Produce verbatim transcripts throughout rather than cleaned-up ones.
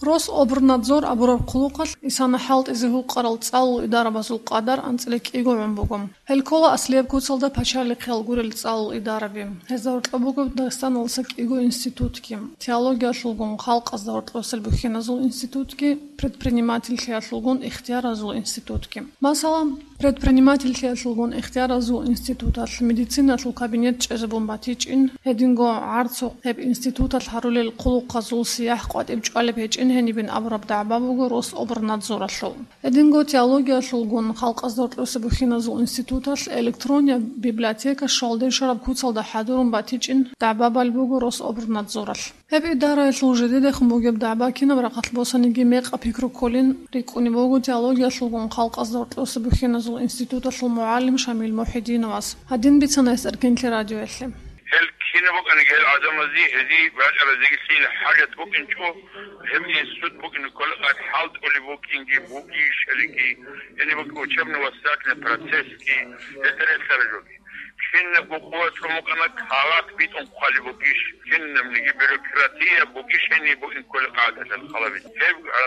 Рособрнадзор абураб хъулухъалъ исана хӀалтӀизе гьукъарал цӀалул идарабазул къадар анцӀила кӀиго гӀун буго. Гьел ккола аслияб куцалда пачалихъиял гурел цӀалул идараби. Гьезда гьоркьоб буго Дагъистаналдаса кӀиго институтги: теологиялъулгун халкъазда гьоркьосел бухьиназул институтги, предпринимательлъиялъулгун ихтияразул институтги. Масала, предпринимательлъиялъулгун ихтияразул институталъ медициналъул кабинет чӀезабун батичӀин, гьединго гӀарцухъ гьеб институталъ гьарулел хъулухъазул сияхӀ къватӀиб чӀвалеб гьечӀин гьенибин абураб дагӀба буго Рособрнадзоралъул. Гьединго теологиялъулгун халкъазда гьоркьоса бухьиназул институталъ электроннияб библиотека щвалде щвараб куцалда хӀадурун батичӀин дагӀба балеб буго Рособрнадзоралъ. Гьеб идараялъул жидедехун бугеб дагӀба кинаб рахъалъ босаниги мекъаб пикру кколин рикӀкӀунеб буго теологиялъулгун халкъазда гьоркьоса бухьиназул институталъул мугӀалим Шамил Мухьидиновас. Гьадин бицана гьес Эркенлъи радиоялъе. Гьел кинаб букӀаниги, гьел гӀадамазе гьезие рачӀарал зигилъин хӀажат букӀинчӀо, гьеб институт букӀине кколеб къайд хӀалтӀулеб букӀинги бугищалиги, гьениб букӀин учебно-воспитательный процессги, гьелда релълъараб жоги. Кинабго къуват гьабун букӀана, кагъат битӀун хъвалеб бугищ, кинабниги бюрократия бугищ гьениб букӀин кколеб къайдалъ халабин. Гьеб, а,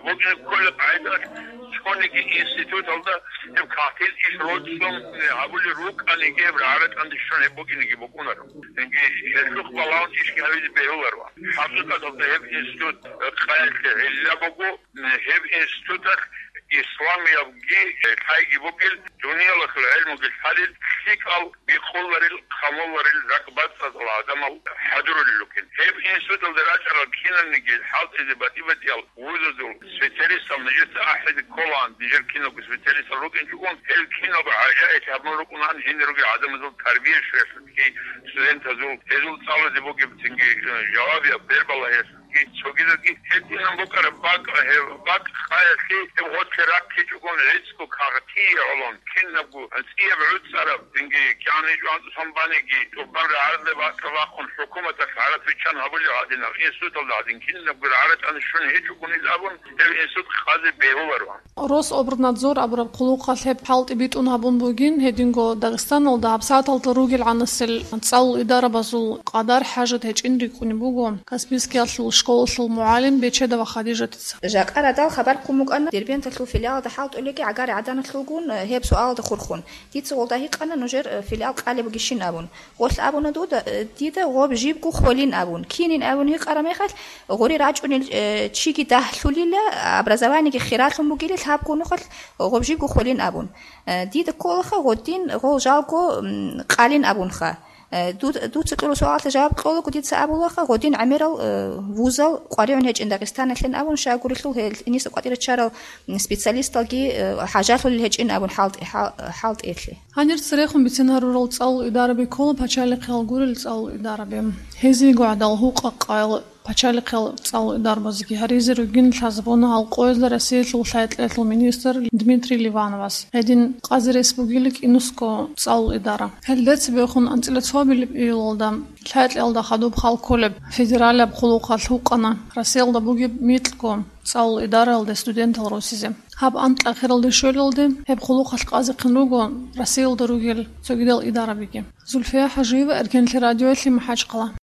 букӀин кколеб къайдалъ цониги институталда гьеб кагътил иш ролъун гьабулел рукӀаниги, гьеб рагӀа-ратӀанде щун гьеб букӀинеги букӀунаро. Цинги гьелъухъ балагьун ишги гьабизе бегьуларо. ХӀакъикъаталда гьеб институт къаялъе гӀилла буго, гьеб институталъ исламиябги лъайги бугел, дуниялалъул гӀелмуги лъалел, лъикӀал бикъуларел, хъамуларел, ракӀбацӀцӀадал гӀадамал хӀадурулел ругел. Гьеб институталда рачӀарал киналниги хӀалтӀизе батӀи-батӀиял вузазул специалистал нижеца ахӀизе кколаан, нижер киналго специалистал рукӀинчӀогун, гьел киналго гӀажаиблъи гьабун рукӀунаан гьенир ругел гӀадамазул тарбия щвеялъулги, студентазул, гьезул цӀалузе бугеб цинги, э, жавабияб бербалагьиялъулги, цогидазги гьединан букӀараб бакӀ, гьеб бакӀ къаялъе гьеб гъорлъе раккичӀогун гӀицӀго кагътие гӀолон, кинабго цӀияб гӀуцӀараб, цинги кигӀан гьечӀо анцӀусан баниги, тӀубан рагӀаралде бакӀа бахъун, хӀукуматалъ гӀараб биччан гьабулеб гьадинаб, институталда гьадин кинабго рагӀа-ратӀани щун гьечӀогунил абун, гьеб институт хъазе бегьуларо. Рособрнадзор абураб хъулухъалъ гьеб хӀалтӀи битӀун гьабун бугин, гьединго Дагъистаналда гьабсагӀаталда ругелгӀанасел цӀалул идарабазул къадар хӀажат гьечӀин рикӀкӀунеб буго Каспийскиялъул школалъул мугӀалим Бечедова Хадижатица. Жакъа радал хабар хъун букӀана Дербенталъул филиалалда хӀалтӀулеги гӀагари гӀаданалъулгун, э, гьеб суалалда хурхун. Дица гъолда гьикъана нужер, э, филиал къалеб бугищин абун. Гъолъ абуна дуда, э, дида гъоб жибго хвелин абун. Кинин абун гьикъараб мехалъ, гъури рачӀунел, э, чиги дагьлъулила, образованиеги хиралъун бугилан гьаб гунухъалъ гъоб жибго хвелин абун. Э, дида кколаха гъодин гъол жалго, м, къалин абунха. Э, ду-, дуца кьураб суалалъе жаваб кьолаго дица абулаха, гъодин гӀемерал, э, вузал къваригӀун гьечӀин Дагъистаналъин абун, щай гурелъул гьел иниса къватӀире чарал, м, специалисталги, э, хӀажалъулел гьечӀин абун хӀалтӀи-, хӀал-, хӀалтӀиялъе. Гьанир церехун бицин гьарурал цӀалул идараби ккола пачалихъиял гурел цӀалул идараби. Гьезиего гӀадал гьукъа-къаял пачалихъиял цӀалул идарабазеги гьаризе ругин лъазабуна гьал къоязда Россиялъул лъай-кьеялъул министр Дмитрий Ливановас. Гьедин къазе рес бугила КӀинусго цӀалул идара. Гьелда цебехун анцӀила цоабилеб июлалда лъай-кьеялда хадуб хал кколеб федералияб хъулухъалъ гьукъана Россиялда бугеб микьго цӀалул идараялде студентал росизе. Гьаб анкь ахиралде щвелалде гьеб хъулухъалъ къазехъин руго Россиялда ругел цогидал идарабиги. Зульфия ХӀажиева, Эркенлъи радиоялъе, МахӀачхъала.